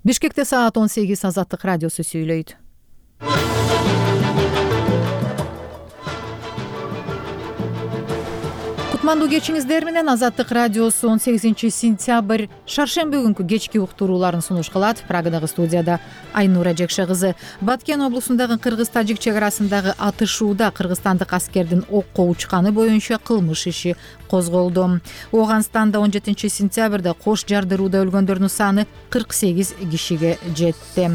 Бишкекте саат 18 Азаттык радиосу сүйлөйт. Кутмандуу кечиңиздер менен Азаттык радиосу 18 сентябрь шаршемби күнкү кечки уктурууларын сунуш кылат. Прагадагы студияда Айнура Жекше кызы. Баткен облусундагы кыргыз-тажик чек арасындагы атышууда кыргызстандык аскердин окко учканы боюнча кылмыш иши козголду. Ооганстанда 17 сентябрда кош жардырууда өлгөндөрдүн саны 48 кишиге жетти.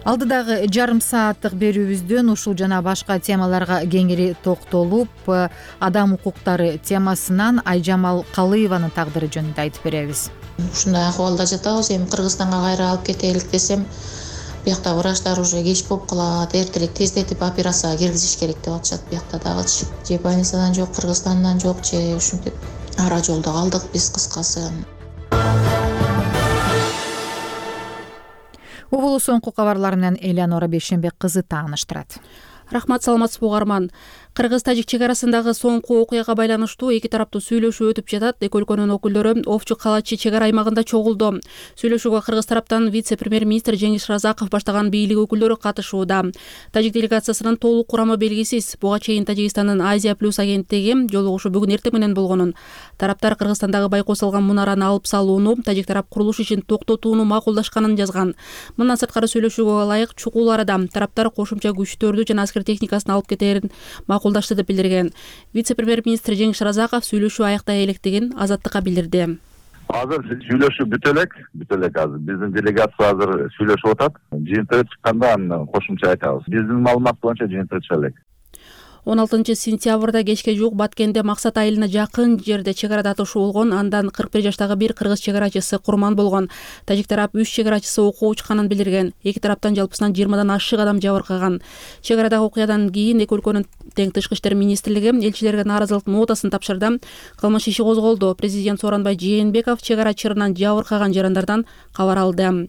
Алдыдагы жарым сааттык берүүбүздөн ушул жана башка темаларга кеңири токтолуп, адам укуктары темасынан Айжамал Калыеванын тагдыры жөнүндө айтып беребиз. Ушундай акыбалда жатабыз. Эми Кыргызстанга кайра алып кетелик десем, биякта врачтар уже кеч болуп калат, эртерээк тездетип операцияга киргизиш керек деп атышат. Биякта дагычы же больницадан жок, Кыргызстандан жок, же ушинтип ара жолдо калдык биз кыскасы. Угулу соңку кабарлар менен Элеонора Бейшенбек кызы тааныштырат. Рахмат, саламатсызбы угарман. Кыргыз-тажик чек арасындагы соңку окуяга байланыштуу эки тараптуу сүйлөшүү өтүп жатат. Эки өлкөнүн өкүлдөрү Овчу Калачы чек ара аймагында чогулду. Сүйлөшүүгө кыргыз тараптан вице-премьер-министр Жеңиш Разаков баштаган бийлик өкүлдөрү катышууда. Тажик делегациясынын толук курамы белгисиз. Буга чейин Тажикстандын Азия плюс агенттиги жолугушуу бүгүн эртең менен болгонун. Тараптар Кыргызстандагы байкосулган мунараны алып салууну, тажик тарап курулуш ишин токтотууну макулдашканын жазган. Мындан сырткары сүйлөшүүгө ылайык чукул арада тараптар кошумча күчтөрдү жана аскер техникасын алып кетерин макулдашты деп билдирген. Вице-премьер-министр Жеңиш Разаков сүйлөшүү аяктай электигин Азаттыкка билдирди. Азыр сүйлөшүү бүтө элек азыр. Биздин делегация азыр сүйлөшүп атат. Жыйынтыгы чыкканда аны кошумча айтабыз. Биздин маалымат боюнча жыйынтыгы чыга элек. 16 сентябрда кечке жуук Баткенде Максат айылына жакын жерде чек арада атышуу болгон. Андан 41 жаштагы бир кыргыз чек арачысы курман болгон. Тажик тарап 3 чек арачысы окуу учканын билдирген. Эки тараптан жалпысынан 20дан ашык адам жабыркаган. Чек арадагы окуядан кийин эки өлкөнүн тең тышкы иштер министрлиги элчилерге нааразылык нотасын тапшырды. Кылмыш иши козголду. Президент Сооронбай Жээнбеков чек ара чырынан жабыркаган жарандардан кабар алды.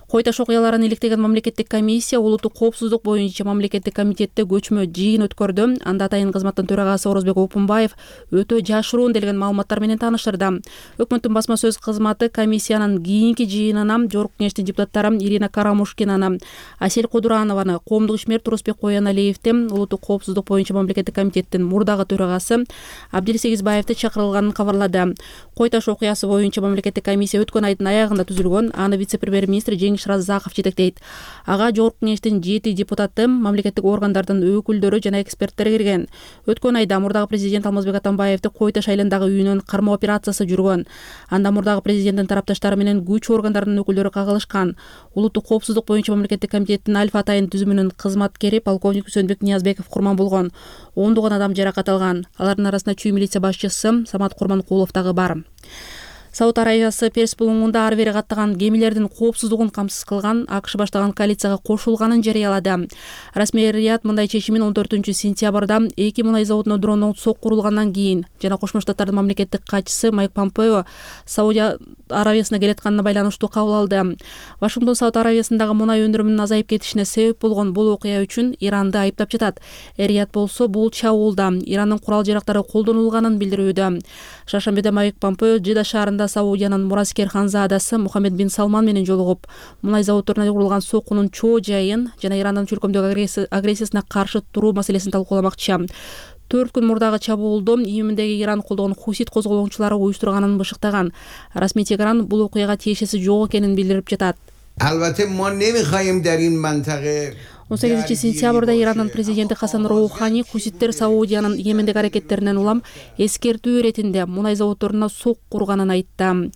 Кой таш окуяларын иликтеген мамлекеттик комиссия улуттук коопсуздук боюнча мамлекеттик комитетте көчмө жыйын өткөрдү. Анда атайын кызматтын төрагасы Орозбек Опунбаев өтө жашыруун делген маалыматтар менен тааныштырды. Өкмөттүн басма сөз кызматы комиссиянын кийинки жыйынына Жогорку кеңештин депутаттары Ирина Карамушкинаны, Асель Кудуранованы, коомдук ишмер Турусбек Кояналиевди, улуттук коопсуздук боюнча мамлекеттик комитеттин мурдагы төрагасы Абдил Сегизбаевди чакырылганын кабарлады. Кой таш окуясы боюнча мамлекеттик комиссия өткөн айдын аягында түзүлгөн. Аны вице-премьер-министр Жеңиш Разаков жетектейт. Ага Жогорку кеңештин 7 депутаты, мамлекеттик органдардын өкүлдөрү жана эксперттер кирген. Өткөн айда мурдагы президент Алмазбек Атамбаевди Кой таш айылындагы үйүнөн кармоо операциясы жүргөн. Анда мурдагы президенттин тарапташтары менен күч органдарынын өкүлдөрү кагылышкан. Улуттук коопсуздук боюнча мамлекеттик комитеттин Альфа атайын түзүмүнүн кызматкери полковник Үсөнбек Ниязбеков курман болгон. Ондогон адам жаракат алган. Алардын арасында чүй милиция башчысы Самат Курманкулов дагы бар. Сауд Арабиясы Перс булуңунда ар бери каттаган кемелердин коопсуздугун камсыз кылган АКШ баштаган коалицияга кошулганын жарыялады. Расмий Рият мындай чечимин 14 сентябрда 2 мунай заводуна дрондон сокку урулгандан кийин жана Кошмо Штаттардын мамлекеттик катчысы Майк Помпео Сауд Арабиясына келатканына байланыштуу кабыл алды. Вашингтон Сауд Арабиясындагы мунай өндүрүмүнүн азайып кетишине себеп болгон бул окуя үчүн Иранды айыптап жатат. Рият болсо бул чабуулда Ирандын курал жарактары колдонулганын билдирүүдө. Шаршембиде Майк Помпео Жида шаарында Саудиянын мураскер ханзадасы Мухаммед бин Салман менен жолугуп, мунай заводдоруна урулган соккунун чоо жайын жана Ирандын чөлкөмдөгү агрессиясына каршы туруу маселесин талкууламакчы. 4 күн мурдагы чабуулду Йемендеги Иран колдогон Хусит козголоочулары уюштурганын бышыктаган. Расмий Тегеран бул окуяга тиешеси жок экенин билдирип жатат. Албетте мо немихаем дар ин мантаға 18 сентябрда Ирандын президенти Хасан Роухани Хуситтер Саудиянын Йемендеги аракеттеринен улам эскертүү иретинде мунай заводдоруна сокку урганын айтты.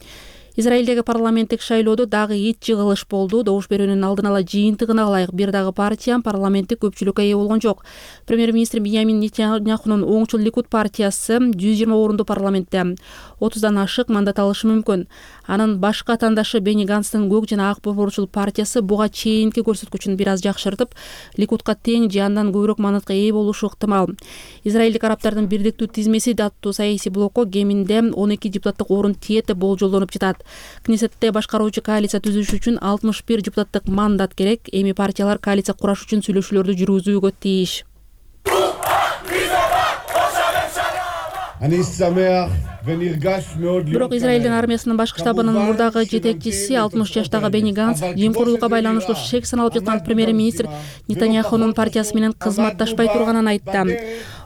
Израилдеги парламенттик шайлоодо дагы ит жыгылыш болду. Добуш берүүнүн алдын ала жыйынтыгына ылайык бир дагы партия парламенттик көпчүлүккө ээ болгон жок. Премьер-министр Биньямин Нетаньяхунун оңчул Ликуд партиясы 120 орунду парламентте 30дан ашык мандат алышы мүмкүн. Анын башка атаандашы Бени Ганстын көк жана ак борборчул партиясы буга чейинки көрсөткүчүн бир аз жакшыртып, Ликудка тең же андан көбүрөөк мандатка ээ болушу ыктымал. Израилдик арабтардын бирдиктүү тизмеси аттуу саясий блокко кеминде 12 депутаттык орун тиет деп болжолдонуп жатат. Кнессетте башкаруучу коалиция түзүш үчүн 61 депутаттык мандат керек. Эми партиялар коалиция кураш үчүн сүйлөшүүлөрдү жүргүзүүгө тийиш. Бирок Израилдин армиясынын башкы штабынын мурдагы жетекчиси 60 жаштагы Бени Ганс жемкорлукка байланыштуу шек саналып жаткан премьер-министр Нетаньяхунун партиясы менен кызматташпай турганын айтты.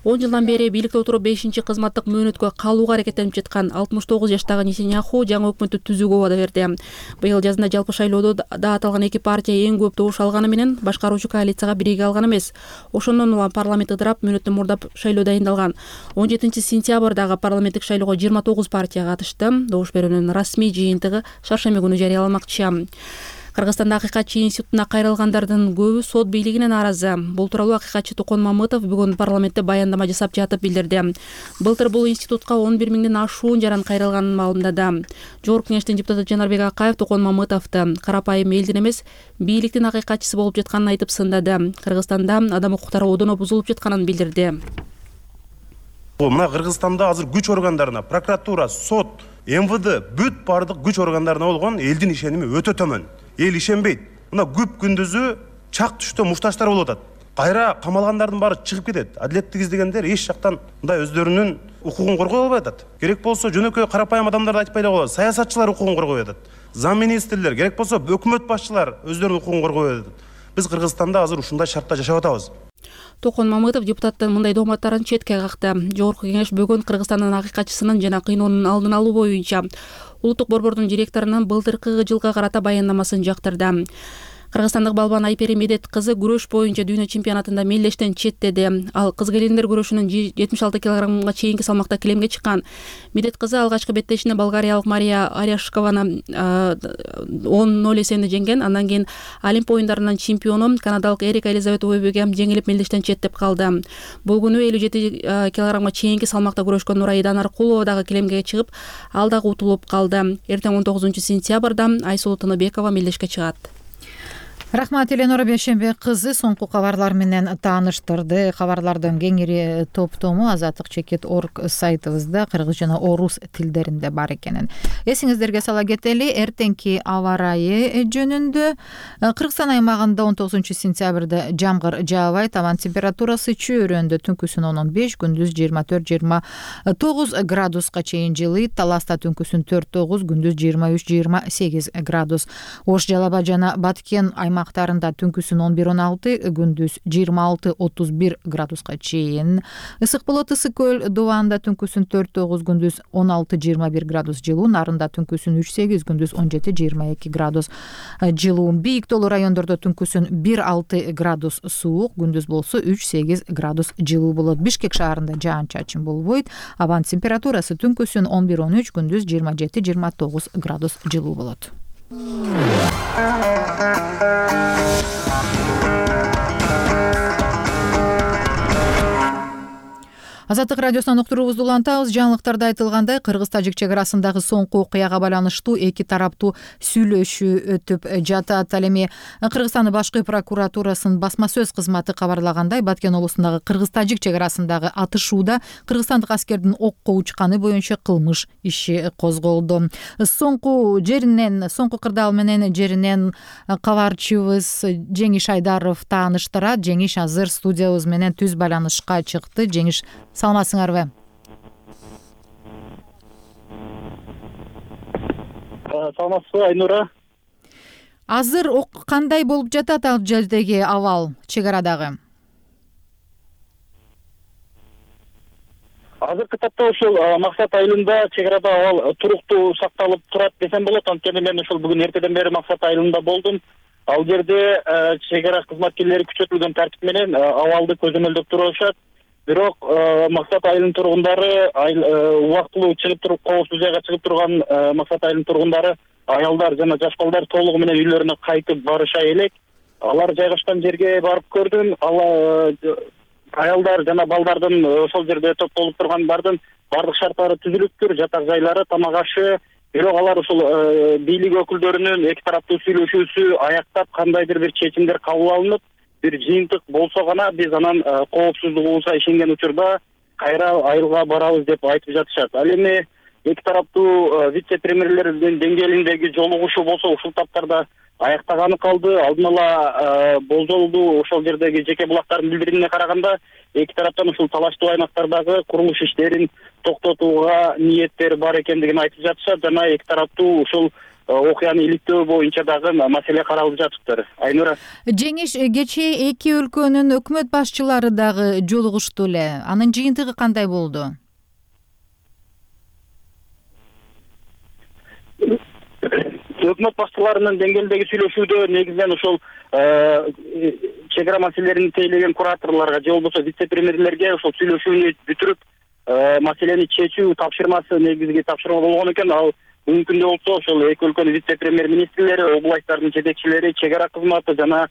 10 жылдан бери бийликте отуруп 5-кызматтык мөөнөткө калууга аракеттенип жаткан 69 жаштагы Нетаньяху жаңы өкмөттү түзүүгө убада берди. Быйыл жазында жалпы шайлоодо да аталган эки партия эң көп добуш алганы менен башкаруучу коалицияга бириге алган эмес. Ошондон улам парламент ыдырап, мөөнөттү мурдап шайлоо дайындалган. 17-сентябрдагы парламенттик шайлоого 29 партия катышты. Добуш берүүнүн расмий жыйынтыгы шаршемби күнү жарыяланмакчы. Кыргызстанда Акыйкатчы институтуна кайрылгандардын көбү сот бийлигине нааразы. Бул тууралуу акыйкатчы Токон Мамытов бүгүн парламентте баяндама жасап жатып билдирди. Былтыр бул институтка 11 миңден ашуун жаран кайрылганын маалымдады. Жогорку кеңештин депутаты Жанарбек Акаев Токон Мамытовду карапайым элдин эмес, бийликтин акыйкатчысы болуп жатканын айтып сындады. Кыргызстанда адам укуктары одоно бузулуп жатканын билдирди. Мына Кыргызстанда азыр күч органдарына, прокуратура, сот, МВД бүт бардык күч органдарына болгон элдин ишеними өтө төмөн. Эл ишенбейт. Мына күп күндүзү чак түштө мушташтар болуп атат. Кайра камалгандардын баары чыгып кетет. Адилеттик издегендер эч жактан мындай өздөрүнүн укугун коргой албай атат. Керек болсо жөнөкөй карапайым адамдарды айтпай эле коет. Саясатчылар укугун коргой атат. Зам министрлер, керек болсо өкмөт башчылар өздөрүнүн укугун коргой атат. Биз Кыргызстанда азыр ушундай шартта жашап атабыз. Токон Мамытов депутаттын мындай дооматтарын четке какты. Жогорку кеңеш бүгүн Кыргызстандын акыйкатчысынын жана кыйноонун алдын алуу боюнча Улуттук борбордун директорунун былтыркы жылга карата баяндамасын жактырды. Кыргызстандык балбан Айпери Медет кызы күрөш боюнча дүйнө чемпионатында мелдештен четтеди. Ал кыз келиндер күрөшүнүн 76 килограммга чейинки салмакта килемге чыккан. Медет кызы алгачкы беттешинде болгариялык Мария Аряшкованы 10-0 эсебинде жеңген. Андан кийин Олимп оюндарынын чемпиону канадалык Эрика Элизабет Уэбеге жеңилип мелдештен четтеп калды. Бул күнү 57 килограммга чейинки салмакта күрөшкөн Нурайдан Аркулова дагы килемге чыгып, ал дагы утулуп калды. Эртең 19-сентябрда Айсулуу Тыныбекова мелдешке чыгат. Рахмат, Эленора Бейшембек кызы соңку кабарлар менен тааныштырды. Кабарлардын кеңири топтому azatlyk.org сайтыбызда кыргыз жана орус тилдеринде бар экенин эсиңиздерге сала кетели. Эртеңки аба ырайы жөнүндө Кыргызстан аймагында 19-сентябрда жамгыр жаабайт, абан температурасы чөйрөндө түнкүсүн 15, күндүз 24-29 градуска чейин жылыйт. Таласта түнкүсүн 4-9, күндүз 23-28 градус. Ош, Жалал Абад жана Баткен аймактарында түнкүсүн 11-16, күндүз 26-31 градуска чейин ысык болот. Ысык көл Дубанда түнкүсүн 4-9, күндүз 16-21 градус жылуу. Нарында түнкүсүн 3-8, күндүз 17-22 градус жылуу. Бийик тоолуу райондордо түнкүсүн 1-6 градус суук, күндүз болсо 3-8 градус жылуу болот. Бишкек шаарында жаан-чачын болбойт. Абан температурасы түнкүсүн 11-13, күндүз 27-29 градус жылуу болот. Азаттык радиосунан уктуруубузду улантабыз. Жаңылыктарда айтылгандай, кыргыз-тажик чек арасындагы соңку окуяга байланыштуу эки тараптуу сүйлөшүү өтүп жатат. Ал эми Кыргызстандын башкы прокуратурасынын басма сөз кызматы кабарлагандай, Баткен облусундагы кыргыз-тажик чек арасындагы атышууда кыргызстандык аскердин окко учканы боюнча кылмыш иши козголду. Соңку кырдаал менен жеринен кабарчыбыз Жеңиш Айдаров тааныштырат. Жеңиш азыр студиябыз менен түз байланышка чыкты. Жеңиш, саламатсыңарбы? Саламатсызбы, Айнура? Азыр кандай болуп жатат ал жердеги абал, чек арадагы? Азыркы тапта ушул Максат айылында чек арада абал туруктуу сакталып турат десем болот. Анткени мен ушул бүгүн эртеден бери Максат айылында болдум. Ал жерде чек ара кызматкерлери күчөтүлгөн тартип менен абалды көзөмөлдөп турушат. Бирок Максат айылынын тургундары убактылуу чыгып туруп, коопсуз жайга чыгып турган Максат айылынын тургундары, аялдар жана жаш балдар толугу менен үйлөрүнө кайтып барыша элек. Алар жайгашкан жерге барып көрдүм. Аялдар жана балдардын ошол жерде топтолуп тургандардын бардык шарттары түзүлүптүр, жатак жайлары, тамак ашы. Бирок алар ушул бийлик өкүлдөрүнүн эки тараптуу сүйлөшүүсү аяктап, кандайдыр бир чечимдер кабыл алынып, бир жыйынтык болсо гана биз анан коопсуздугубузга ишенген учурда кайра айылга барабыз деп айтып жатышат. Ал эми эки тараптуу вице-премьерлердин деңгээлиндеги жолугушуу болсо ушул таптарда аяктаганы калды. Алдын ала болжолду ошол жердеги жеке булактардын билдирүүнүнө караганда эки тараптан ушул талаштуу аймактардагы курулуш иштерин токтотууга ниеттери бар экендигин айтып жатышат жана эки тараптуу ушул окуяны иликтөө боюнча дагы маселе каралып жатыптыр. Айнура. Жеңиш, кечээ эки өлкөнүн өкмөт башчылары дагы жолугушту эле. Анын жыйынтыгы кандай болду? Өкмөт башчыларынын деңгээлдеги сүйлөшүүдө негизинен ошол чек ара маселелерин тейлеген кураторлорго же болбосо вице-премьерлерге ошол сүйлөшүүнү бүтүрүп маселени чечүү тапшырмасы негизги тапшырма болгон экен. Ал мүмкүн болсо ошол эки өлкөнүн вице-премьер министрлери, областтардын жетекчилери, чек ара кызматы жана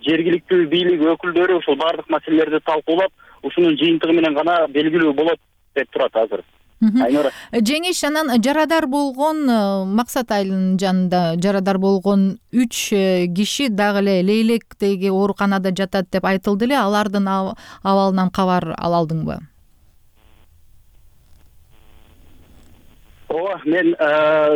жергиликтүү бийлик өкүлдөрү ушул баардык маселелерди талкуулап, ушунун жыйынтыгы менен гана белгилүү болот деп турат азыр. Айнура. Жеңиш, анан жарадар болгон Максат айылынын жанында жарадар болгон 3 киши дагы эле Лейлектеги ооруканада жатат деп айтылды эле. Алардын абалынан кабар ала алдыңбы? Ооба, мен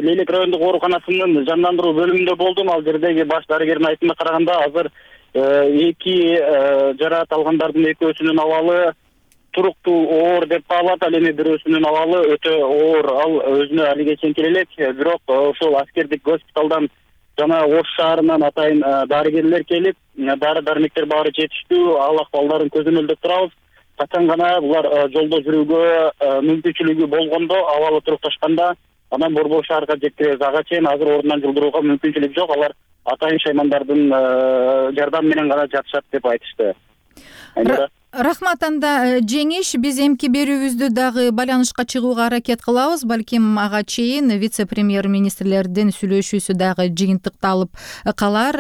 Лейлек райондук ооруканасынын жандандыруу бөлүмүндө болдум. Ал жердеги баш дарыгердин айтымына караганда азыр эки жараат алгандардын экөөсүнүн абалы туруктуу оор деп баалат. Ал эми бирөөсүнүн абалы өтө оор. Ал өзүнө алиге чейин элек, бирок ошол аскердик госпиталдан жана Ош шаарынан атайын дарыгерлер келип, дары-дармектер баары жетиштүү, ал акыбалдарын көзөмөлдөп турабыз. Качан гана булар жолдо жүрүүгө мүмкүнчүлүгү болгондо, абалы турукташканда анан Борбор шаарга жеткиребиз. Ага чейин азыр ордунан жылдырууга мүмкүнчүлүк жок. Алар атайын шаймандардын жардамы менен гана жатышат деп айтышты. Рахмат. Анда Жеңиш, биз эмки берүүбүздү дагы байланышка чыгууга аракет кылабыз. Балким ага чейин вице-премьер министрлердин сүйлөшүүсү дагы жыйынтыкталып калар.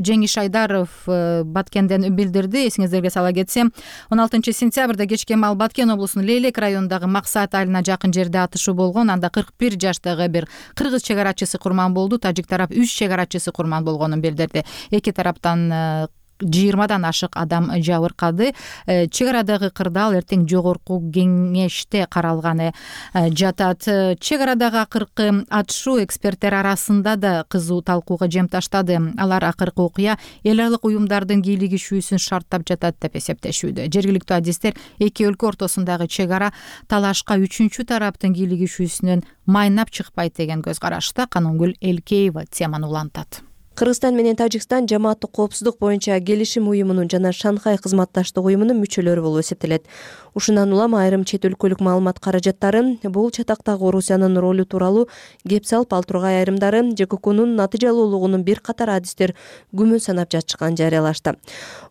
Жеңиш Айдаров Баткенден билдирди. Эсиңиздерге сала кетсем, 16 сентябрда кечке маал Баткен облусунун Лейлек районундагы Максат айылына жакын жерде атышуу болгон. Анда 41 жаштагы бир кыргыз чек арачысы курман болду. Тажик тарап 3 чек арачысы курман болгонун билдирди. Эки тараптан 20дан ашык адам жабыркады. Чек арадагы кырдаал эртең жогорку кеңеште каралганы жатат. Чек арадагы акыркы атышуу эксперттер арасында да кызуу талкууга жем таштады. Алар акыркы окуя эл аралык уюмдардын кийлигишүүсүн шарттап жатат деп эсептешүүдө. Жергиликтүү адистер эки өлкө ортосундагы чек ара талашка үчүнчү тараптын кийлигишүүсүнөн майнап чыкпайт деген көз карашта. Канонгүл Элкеева теманы улантат. Кыргызстан менен Тажикстан жамааттык коопсуздук боюнча келишим уюмунун жана Шанхай кызматташтык уюмунун мүчөлөрү болуп эсептелет. Ушундан улам айрым чет өлкөлүк маалымат каражаттары бул чатактагы Орусиянын ролу тууралуу кеп салып, ал тургай айрымдары ЖККнун натыйжалуулугунун бир катар адистер күмөн санап жатышканын жарыялашты.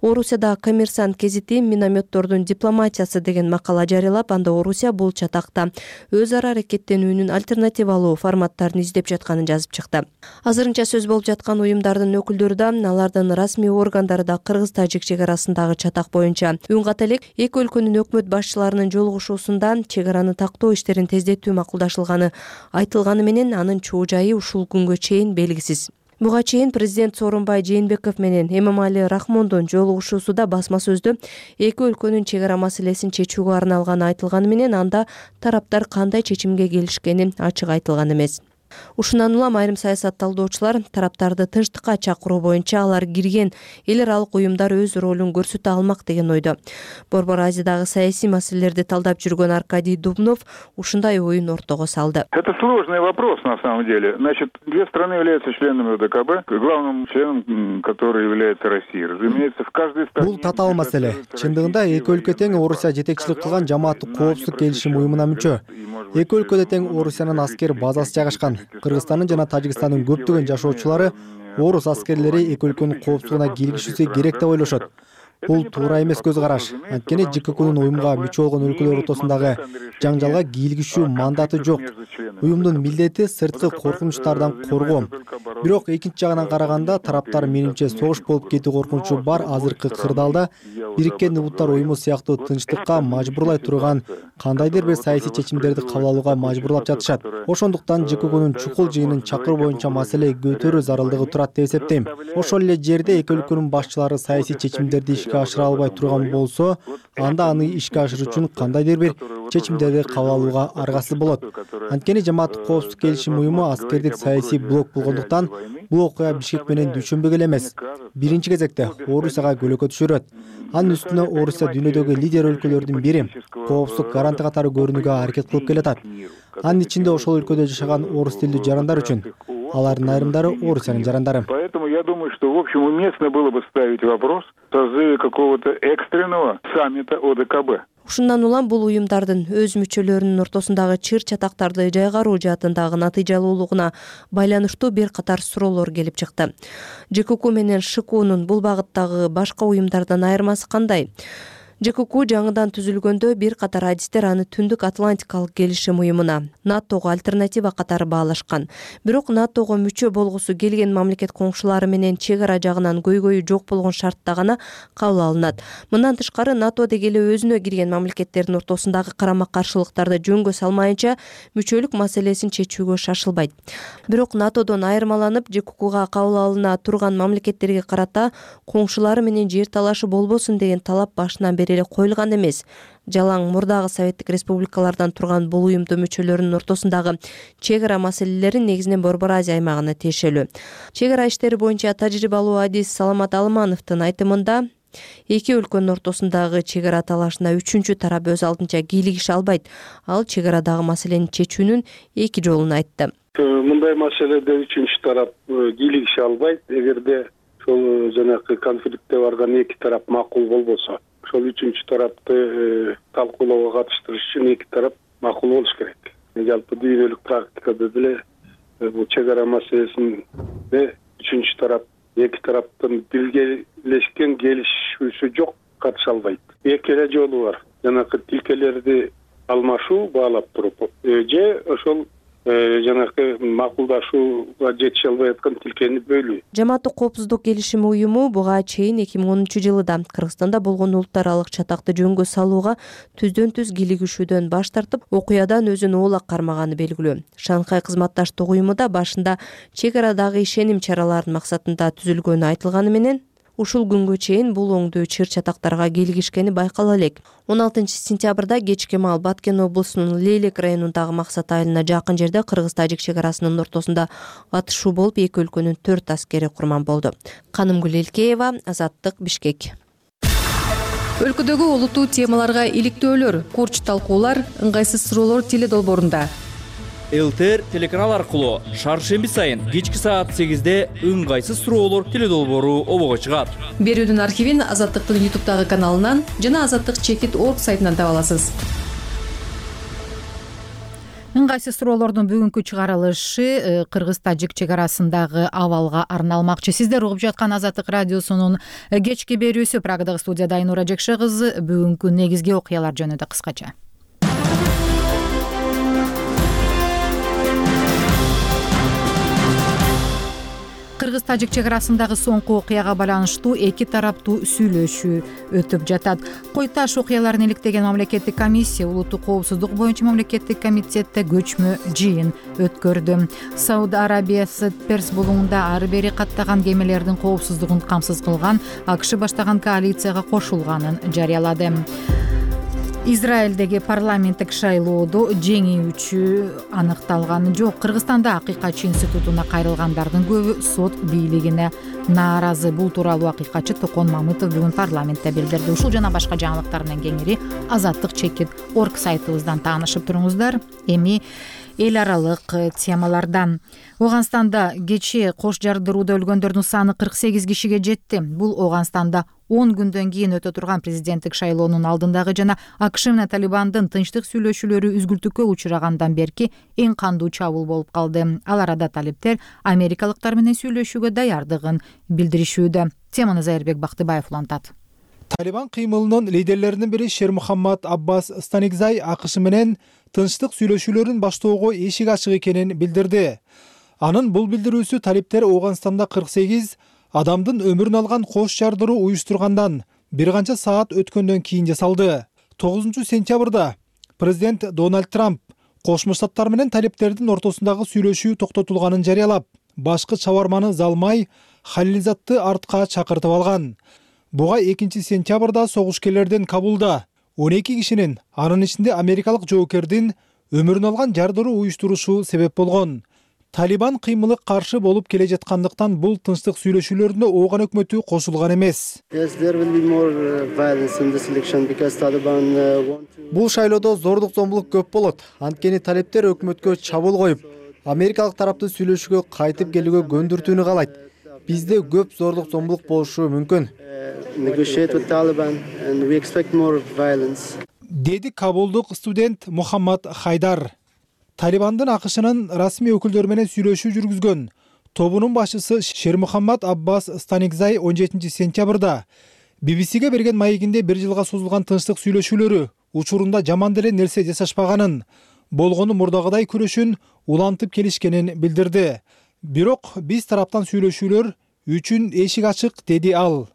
Орусияда Коммерсант гезити минометтордун дипломатиясы деген макала жарыялап, анда Орусия бул чатакта өз ара аракеттенүүнүн альтернативалуу форматтарын издеп жатканын жазып чыкты. Азырынча сөз болуп жаткан уюмдардын өкүлдөрү да, алардын расмий органдары да кыргыз-тажик чек арасындагы чатак боюнча үн ката элек. Эки өлкөнүн өкмөт башчыларынын жолугушуусунда чек араны тактоо иштерин тездетүү макулдашылганы айтылганы менен анын чоо жайы ушул күнгө чейин белгисиз. Буга чейин президент Сооронбай Жээнбеков менен Эмомали Рахмондун жолугушуусуда басма сөздө эки өлкөнүн чек ара маселесин чечүүгө арналганы айтылганы менен анда тараптар кандай чечимге келишкени ачык айтылган эмес. Ушундан улам айрым саясат талдоочулар тараптарды тынчтыкка чакыруу боюнча алар кирген эл аралык уюмдар өз ролун көрсөтө алмак деген ойдо. Борбор Азиядагы саясий маселелерди талдап жүргөн Аркадий Дубнов ушундай оюн ортого салды. Это сложный вопрос на самом деле. Значит, две страны являются членами ОДКБ, главным членом, который является Россия. Разумеется, в каждой стране... Бул татаал маселе. Чындыгында эки өлкө тең Орусия жетекчилик кылган жамааттык коопсуздук келишим уюмуна мүчө. Эки өлкөдө тең Орусиянын аскер базасы жайгашкан. Кыргызстандын жана Тажикстандын көптөгөн жашоочулары орус аскерлери эки өлкөнүн коопсуздугуна кийлигишүүсү керек деп ойлошот. Бул туура эмес көз караш. Анткени ЖККнун уюмга мүчө болгон өлкөлөр ортосундагы жаңжалга кийлигишүү мандаты жок. Уюмдун милдети сырткы коркунучтардан коргоо. Бирок экинчи жагынан караганда тараптар менимче согуш болуп кетүү коркунучу бар. Азыркы кырдаалда Бириккен Улуттар уюму сыяктуу тынчтыкка мажбурлай турган кандайдыр бир саясий чечимдерди кабыл алууга мажбурлап жатышат. Ошондуктан ЖККнун чукул жыйынын чакыруу боюнча маселе көтөрүү зарылдыгы турат деп эсептейм. Ошол эле жерде эки өлкөнүн башчылары саясий чечимдерди ишке ашыра албай турган болсо, анда аны ишке ашыруу үчүн кандайдыр бир чечимдерди кабыл алууга аргасыз болот. Анткени жамааттык коопсуздук келишим уюму аскердик саясий блок болгондуктан бул окуя Бишкек менен дүйшөмбүгө эле эмес, биринчи кезекте Орусияга көлөкө түшүрөт. Анын үстүнө Орусия дүйнөдөгү лидер өлкөлөрдүн бири, коопсуздук гаранты катары көрүнүүгө аракет кылып келатат. Анын ичинде ошол өлкөдө жашаган орус тилдүү жарандар үчүн. Алардын айрымдары Орусиянын жарандары. Поэтому я думаю, что в общем уместно было бы ставить вопрос о созыве какого-то экстренного саммита ОДКБ. Ушундан улам бул уюмдардын өз мүчөлөрүнүн ортосундагы чыр чатактарды жайгаруу жаатындагы натыйжалуулугуна байланыштуу бир катар суроолор келип чыкты. ЖКК менен ШКУнун бул багыттагы башка уюмдардан айырмасы кандай? ЖКК жаңыдан түзүлгөндө бир катар адистер аны Түндүк Атлантикалык келишим уюмуна, НАТОго альтернатива катары баалашкан. Бирок НАТОго мүчө болгусу келген мамлекет коңшулары менен чек ара жагынан көйгөйү жок болгон шартта гана кабыл алынат. Мындан тышкары НАТО деги эле өзүнө кирген мамлекеттердин ортосундагы карама-каршылыктарды жөнгө салмайынча мүчөлүк маселесин чечүүгө шашылбайт. Бирок НАТОдон айырмаланып, ЖККга кабыл алына турган мамлекеттерге карата коңшулары менен жер талашы болбосун деген талап башынан бери эле коюлган эмес. Жалаң мурдагы советтик республикалардан турган бул уюмдун мүчөлөрүнүн ортосундагы чек ара маселелери негизинен Борбор Азия аймагына тиешелүү. Чек ара иштери боюнча тажрыйбалуу адис Саламат Алымановдун айтымында, эки өлкөнүн ортосундагы чек ара талашына үчүнчү тарап өз алдынча кийлигише албайт. Ал чек арадагы маселени чечүүнүн эки жолун айтты. Мындай маселеде үчүнчү тарап кийлигише албайт. Эгерде ошол жанагы конфликтте барган эки тарап макул болбосо, ошол үчүнчү тарапты талкуулоого катыштырыш үчүн эки тарап макул болуш керек. Жалпы дүйнөлүк практикада деле бул чек ара маселесинде үчүнчү тарап эки тараптын биргелешкен келишүүсү жок катыша албайт. Эки эле жолу бар. Жанагы тилкелерди алмашуу, баалап туруп, же ошол жанагы макулдашууга жетише албай аткан тилкени бөлүү. Жамааттык коопсуздук келишим уюму буга чейин 2010-жылы Кыргызстанда болгон улут аралык чатакты жөнгө салууга түздөн-түз кийлигишүүдөн баш тартып, окуядан өзүн оолак кармаганы белгилүү. Шанхай кызматташтык уюму да башында чек арадагы ишеним чараларынын максатында түзүлгөнү айтылганы менен, ушул күнгө чейин бул оңдуу чыр чатактарга кийлигишкени байкала элек. 16-сентябрда кечке маал Баткен облусунун Лейлек районундагы Максат айылына жакын жерде Кыргыз-Тажик чек арасынын ортосунда атышуу болуп, эки өлкөнүн 4 аскери курман болду. Канымгүл Элкеева, Азаттык, Бишкек. Өлкөдөгү олуттуу темаларга иликтөөлөр, курч талкуулар, ыңгайсыз суроолор теле долбоорунда. ЛТР телеканал аркылуу шаршемби сайын кечки саат 8-де ыңгайсыз суроолор теле долбоору обого чыгат. Берүүнүн архивин Азаттыктын YouTube'дагы каналынан жана azattik.org сайтынан таба аласыз. Ыңгайсыз суроолордун бүгүнкү чыгарылышы Кыргыз-Тажик чек арасындагы абалга арналмакчы. Сиздер угуп жаткан Азаттык радиосунун кечки берүүсү. Прагадагы студияда Айнура Жекше кызы. Бүгүнкү негизги окуялар жөнүндө кыскача. Кыргыз-Тажик чек арасындагы соңку окуяга байланыштуу эки тараптуу сүйлөшүү өтүп жатат. Кой Таш окуяларын иликтеген мамлекеттик комиссия улуттук коопсуздук боюнча мамлекеттик комитетте көчмө жыйын өткөрдү. Сауд Арабиясы Перс булуңунда ары бери каттаган кемелердин коопсуздугун камсыз кылган АКШ баштаган коалицияга кошулганын жарыялады. Израилдеги парламенттик шайлоодо жеңүүчү аныкталганы жок. Кыргызстанда Акыйкатчы институтуна кайрылгандардын көбү сот бийлигине нааразы. Бул тууралуу акыйкатчы Токон Мамытов бүгүн парламентте билдирди. Ушул жана башка жаңылыктар менен кеңири azattik.org сайтыбыздан таанышып туруңуздар. Эми эл аралык темалардан. Ооганстанда кечээ кош жардырууда өлгөндөрдүн саны 48 кишиге жетти. Бул Ооганстанда 10 күндөн кийин өтө турган президенттик шайлоонун алдындагы жана АКШ менен Талибандын тынчтык сүйлөшүүлөрү үзгүлтүккө учурагандан берки эң кандуу чабуул болуп калды. Ал арада талиптер америкалыктар менен сүйлөшүүгө даярдыгын билдиришүүдө. Теманы Зайырбек Бактыбаев улантат. Талибан кыймылынын лидерлеринин бири Шермухаммад Аббас Станигзай АКШ менен тынчтык сүйлөшүүлөрүн баштоого эшик ачык экенин билдирди. Анын бул билдирүүсү талиптер Ооганстанда 48 адамдын өмүрүн алган кош жардыруу уюштургандан бир канча саат өткөндөн кийин жасалды. 9-сентябрда президент Дональд Трамп Кошмо Штаттар менен талиптердин ортосундагы сүйлөшүү токтотулганын жарыялап, башкы чабарманы Залмай Халилзатты артка чакыртып алган. Буга 2-сентябрда согушкерлердин Кабулда 12 кишинин, анын ичинде америкалык жоокердин өмүрүн алган жардыруу уюштурушу себеп болгон. Талибан кыймылы каршы болуп келе жаткандыктан бул тынчтык сүйлөшүүлөрүндө Ооган өкмөтү кошулган эмес. Бул шайлоодо зордук зомбулук көп болот. Анткени талиптер өкмөткө чабуул коюп, америкалык тарапты сүйлөшүүгө кайтып келүүгө көндүртүүнү каалайт. Бизде көп зордук зомбулук болушу мүмкүн. Деди Кабулдук студент Мухаммад Хайдар. Талибандын АКШнын расмий өкүлдөрү менен сүйлөшүү жүргүзгөн тобунун башчысы Шермухаммад Аббас Станигзай 17 сентябрда BBC-ге берген маегинде 1 жылга созулган тынчтык сүйлөшүүлөрү учурунда жаман деле нерсе жасашпаганын, болгону мурдагыдай күрөшүн улантып келишкенин билдирди. Бирок биз тараптан сүйлөшүүлөр үчүн эшик ачык, деди ал.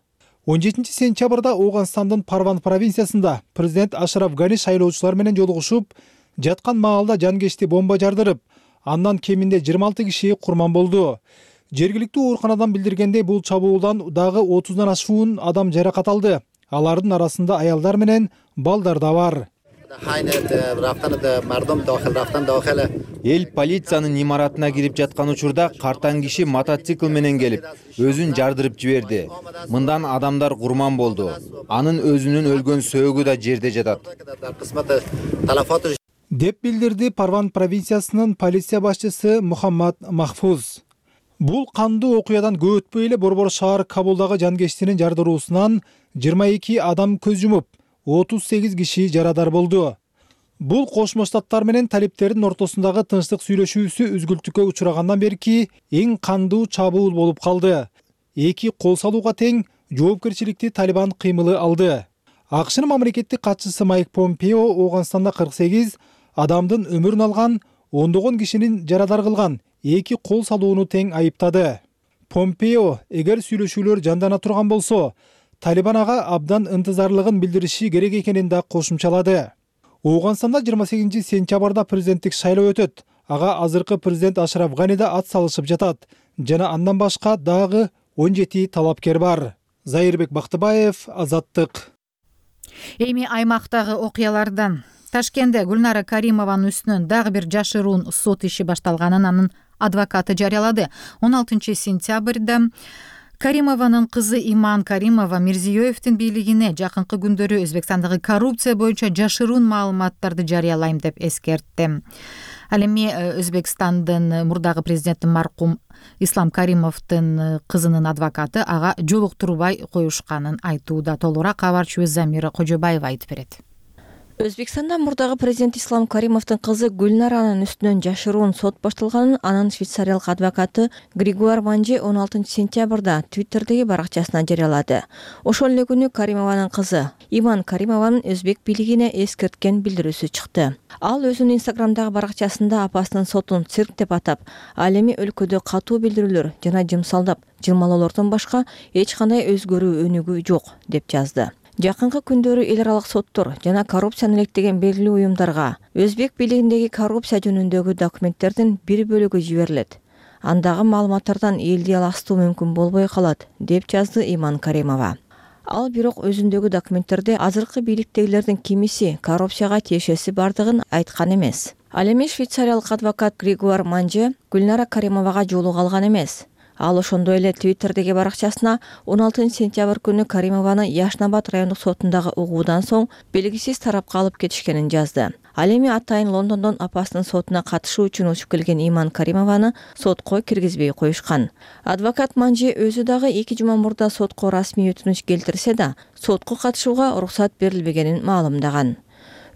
17 сентябрда Ооганстандын Парван провинциясында президент Ашраф Гани шайлоочулар менен жолугушуп, жаткан маалда жанкечти бомба жардырып, андан кеминде 26 киши курман болду. Жергиликтүү ооруканадан билдиргендей, бул чабуулдан дагы 30дан ашуун адам жаракат алды. Алардын арасында аялдар менен балдар да бар. Эл полициянын имаратына кирип жаткан учурда картаң киши мотоцикл менен келип, өзүн жардырып жиберди. Мындан адамдар курман болду. Анын өзүнүн өлгөн сөөгү да жерде жатат, деп билдирди Парван провинциясынын полиция башчысы Мухаммад Махфуз. Бул кандуу окуядан көп өтпөй эле Борбор шаар Кабулдагы жанкечтинин жардыруусунан 22 адам көз жумуп, 38 киши жарадар болду. Бул Кошмо Штаттар менен талиптердин ортосундагы тынчтык сүйлөшүүсү үзгүлтүккө учурагандан берки эң кандуу чабуул болуп калды. Эки кол салууга тең жоопкерчиликти Талибан кыймылы алды. АКШнын мамлекеттик катчысы Майк Помпео Ооганстанда 48 адамдын өмүрүн алган, ондогон кишинин жарадар кылган эки кол салууну тең айыптады. Помпео, эгер сүйлөшүүлөр жандана турган болсо, Талибан ага абдан ынтызарлыгын билдириши керек экенин да кошумчалады. Ооганстанда 28 сентябрда президенттик шайлоо өтөт. Ага азыркы президент Ашраф Гани да ат салышып жатат. Жана андан башка дагы 17 талапкер бар. Зайырбек Бактыбаев, Азаттык. Эми аймактагы окуялардан. Ташкентте Гүлнара Каримованын үстүнөн дагы бир жашыруун сот иши башталганын анын адвокаты жарыялады. 16 сентябрда Каримованын кызы Иман Каримова Мирзиёевдин бийлигине жакынкы күндөрү Өзбекстандагы коррупция боюнча жашыруун маалыматтарды жарыялайм деп эскертти. Ал эми Өзбекстандын мурдагы президенти маркум Ислам Каримовдун кызынын адвокаты ага жолуктурбай коюшканын айтууда. Толугураак кабарчыбыз Замира Кожобаева айтып берет. Өзбекстанда мурдагы президент Ислам Каримовдун кызы Гүлнаранын үстүнөн жашыруун сот башталганын анын швейцариялык адвокаты Григуар Манжи 16 сентябрда Твиттердеги баракчасына жарыялады. Ошол эле күнү Каримованын кызы Иман Каримованын өзбек бийлигине эскерткен билдирүүсү чыкты. Ал өзүнүн Инстаграмдагы баракчасында апасынын сотун цирк деп атап, ал эми өлкөдө катуу билдирүүлөр жана жымсалдап, жылмалоолордон башка эч кандай өзгөрүү өнүгүү жок деп жазды. Жакынкы күндөрү эл аралык соттор жана коррупцияны илектеген белгилүү уюмдарга өзбек бийлигиндеги коррупция жөнүндөгү документтердин бир бөлүгү жиберилет. Андагы маалыматтардан элди аластуу мүмкүн болбой калат, деп жазды Иман Каримова. Ал бирок өзүндөгү документтерде азыркы бийликтегилердин кимиси коррупцияга тиешеси бардыгын айткан эмес. Ал эми швейцариялык адвокат Григуар Манжи Гүлнара Каримовага жолуга алган эмес. Ал ошондой эле Твиттердеги баракчасына 16 сентябрь күнү Каримованы Яшнабад райондук сотундагы угуудан соң белгисиз тарапка алып кетишкенин жазды. Ал эми атайын Лондондон апасынын сотуна катышуу үчүн учуп келген Иман Каримованы сотко киргизбей коюшкан. Адвокат Манжи өзү дагы 2 жума мурда сотко расмий өтүнүч келтирсе да, сотко катышууга уруксат берилбегенин маалымдаган.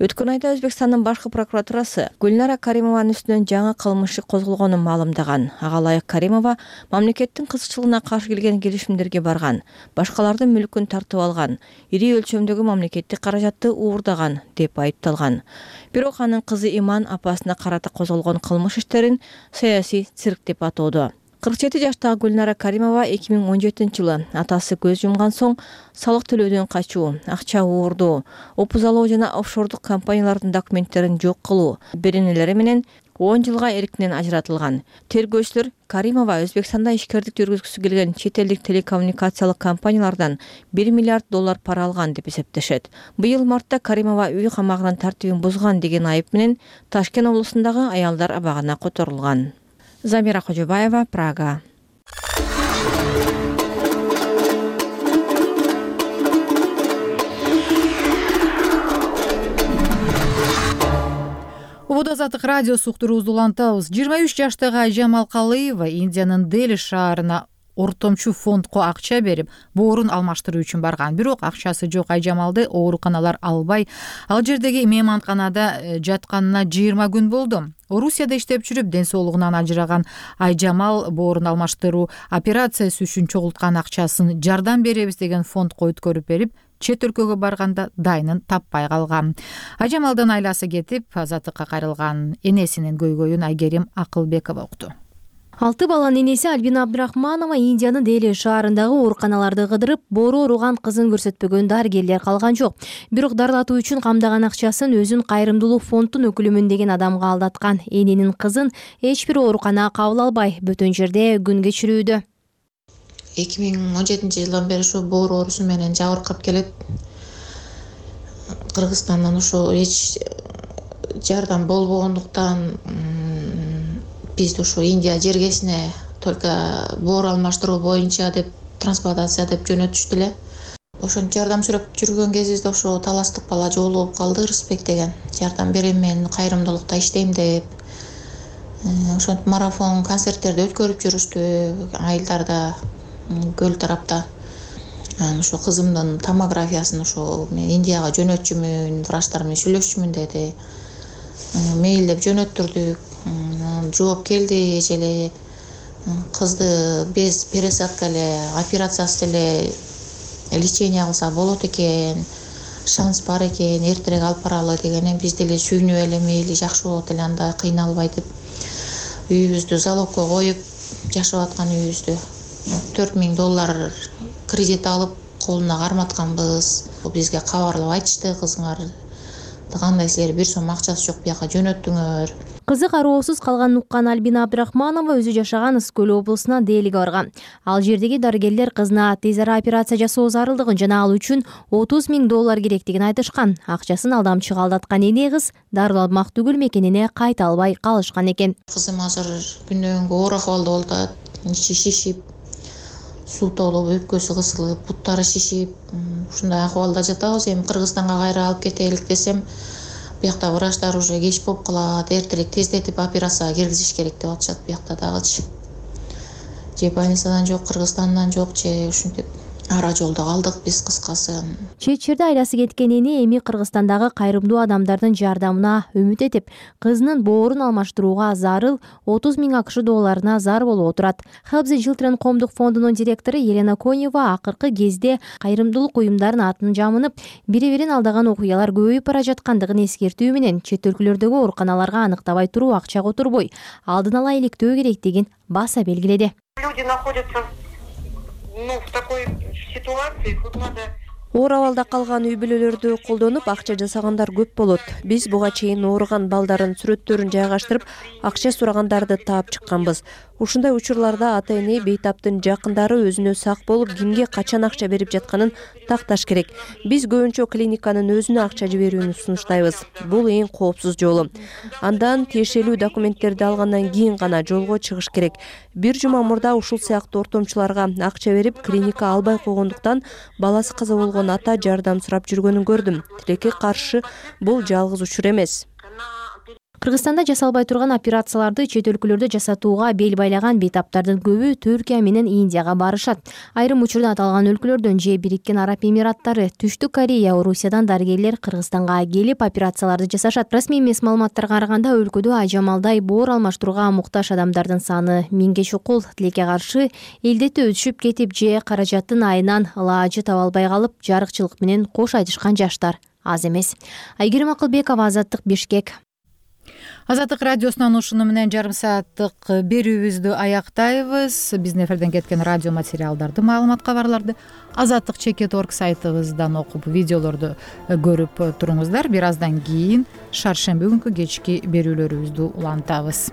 Өткөн айда Өзбекстандын башкы прокуратурасы Гүлнара Каримованын үстүнөн жаңы кылмыш иши козголгонун маалымдаган. Ага ылайык Каримова мамлекеттин кызыкчылыгына каршы келген келишимдерге барган, башкалардын мүлкүн тартып алган, ири өлчөмдөгү мамлекеттик каражатты уурдаган деп айыпталган. Бирок анын кызы Иман апасына карата козголгон кылмыш иштерин саясий цирк деп атоодо. 47 жаштагы Гүлнара Каримова 2017-жылы атасы көз жумган соң салык төлөөдөн качуу, акча уурдоо, опузалоо жана офшордук компаниялардын документтерин жок кылуу беренелери менен 10 жылга эркинен ажыратылган. Тергөөчүлөр Каримова Өзбекстанда ишкердик жүргүзгүсү келген чет элдик телекоммуникациялык компаниялардан $1 миллиард пара алган деп эсептешет. Быйыл мартта Каримова үй камагынын тартибин бузган деген айып менен Ташкент облусундагы аялдар абагына которулган. Замира Кожобаева, Прага. Азаттык радиосу уктурубузду улантабыз. 23 жаштагы Айжамал Калыева Индиянын Дели шаарына ортомчу фондко акча берип, боорун алмаштыруу үчүн барган. Бирок акчасы жок Айжамалды ооруканалар албай, ал жердеги мейманканада жатканына 20 күн болду. Орусияда иштеп жүрүп, ден соолугунан ажыраган Айжамал боорун алмаштыруу операциясы үчүн чогулткан акчасын жардам беребиз деген фондко өткөрүп берип, чет өлкөгө барганда дайынын таппай калган. Айжамалдын айласы кетип, азаттыкка кайрылган энесинин көйгөйүн Айгерим Акылбекова укту. 6 баланын энеси Альбина Абдрахманова Индиянын Дели шаарындагы ооруканаларды кыдырып, боору ооруган кызын көрсөтпөгөн дарыгерлер калган жок. Бирок дарылатуу үчүн камдаган акчасын өзүн кайрымдуулук фонддун өкүлүмүн деген адамга алдаткан. Эненин кызын эч бир оорукана кабыл албай, бөтөн жерде күн кечирүүдө. 2017 жылдан бери ушу боор оорусу менен жабыркап келет. Кыргызстандан ушу эч жардам болбогондуктан бизди ушу Индия жергесине только боор алмаштыруу боюнча деп трансплантация деп жөнөтүштү эле. Ошончо жардам сүрөп жүргөн кезибизде ошо таластык бала жолугуп калды, Рысбек деген. Жардам берем мен, кайрымдуулукта иштейм деп. Ошентип марафон концерттерди өткөрүп жүрүштү айылдарда, көл тарапта. Ошо кызымдын томографиясын ошо Индияга жөнөтчүмүн, врачтар менен сүйлөшчүмүн деди. Мейлдеп жөнөттүрдүк. Жооп келди эже эле. Кызды без пересадка эле, операциясыз эле лечение кылса болот экен, шанс бар экен, эртерээк алып баралы дегенен биз деле сүйүнүп эле мейли жакшы болот эле, анда кыйналбай деп үйүбүздү залогко коюп, жашап аткан үйүбүздү $4000 кредит алып колуна карматканбыз. Бизге кабарлап айтышты, кызыңар кандай силер 1 сом акчасы жок, бияка жөнөттүңөр. Кызы кароосуз калганын уккан Альбина Абдрахманова өзү жашаган Ысык-Көл облусуна Делиге барган. Ал жердеги дарыгерлер кызына тез ара операция жасоо зарылдыгын жана ал үчүн $30,000 керектигин айтышкан. Акчасын алдамчыга алдаткан эне кыз дарыланмак түгүл мекенине кайта албай калышкан экен. Кызым азыр күндөн күнгө оор акыбалда болуп атат. Ичи шишип, суу толуп, өпкөсү кысылып, буттары шишип, ушундай акыбалда жатабыз. Эми Кыргызстанга кайра алып кетелик десем, биякта врачтар уже кеч болуп калат, эртерээк тездетип операцияга киргизиш керек деп атышат биякта дагычы. Же больницадан жок, Кыргызстандан жок, же ушинтип ара жолдо калдык биз кыскасы. Чет жерде айласы кеткен эне эми Кыргызстандагы кайрымдуу адамдардын жардамына үмүт этип, кызынын боорун алмаштырууга зарыл $30,000 зар болуп отурат. Help the Children коомдук фондунун директору Елена Конева акыркы кезде кайрымдуулук уюмдардын атын жамынып, бири-бирин алдаган окуялар көбөйүп бара жаткандыгын эскертүү менен чет өлкөлөрдөгү ооруканаларга аныктабай туруу акча которбой, алдын ала иликтөө керектигин баса белгиледи. Люди находятся в такой ситуации, тут надо Оор абалда калган үй бүлөлөрдү колдонуп акча жасагандар көп болот. Биз буга чейин ооруган балдардын сүрөттөрүн жайгаштырып, акча сурагандарды таап чыкканбыз. Ушундай учурларда ата-эне бейтаптын жакындары өзүнө сак болуп, кимге качан акча берип жатканын такташ керек. Биз көбүнчө клиниканын өзүнө акча жиберүүнү сунуштайбыз. Бул эң коопсуз жолу. Андан тиешелүү документтерди алгандан кийин гана жолго чыгыш керек. Бир жума мурда ушул сыяктуу ортомчуларга акча берип, клиника албай койгондуктан баласы каза болгон ата жардам сурап жүргөнүн көрдүм. Тилекке каршы бул жалгыз учур эмес. Кыргызстанда жасалбай турган операцияларды чет өлкөлөрдө жасатууга бел байлаган бейтаптардын көбү Түркия менен Индияга барышат. Айрым учурда аталган өлкөлөрдөн же Бириккен Араб Эмираттары, Түштүк Корея, Орусиядан дарыгерлер Кыргызстанга келип операцияларды жасашат. Расмий эмес маалыматтарга караганда өлкөдө Айжамалдай боор алмаштырууга муктаж адамдардын саны 1000ге чукул. Тилекке каршы элдетте өтүшүп кетип же каражаттын айынан ылаажы таба албай калып, жарыкчылык менен кош айтышкан жаштар аз эмес. Айгерим Акылбекова, Азаттык, Бишкек. Азаттык радиосунан ушуну менен жарым сааттык берүүбүздү аяктайбыз. Биздин эфирден кеткен радио материалдарды, маалымат кабарларды azattik.org сайтыбыздан окуп, видеолорду көрүп туруңуздар. Бир аздан кийин шаршемби күнкү кечки берүүлөрүбүздү улантабыз.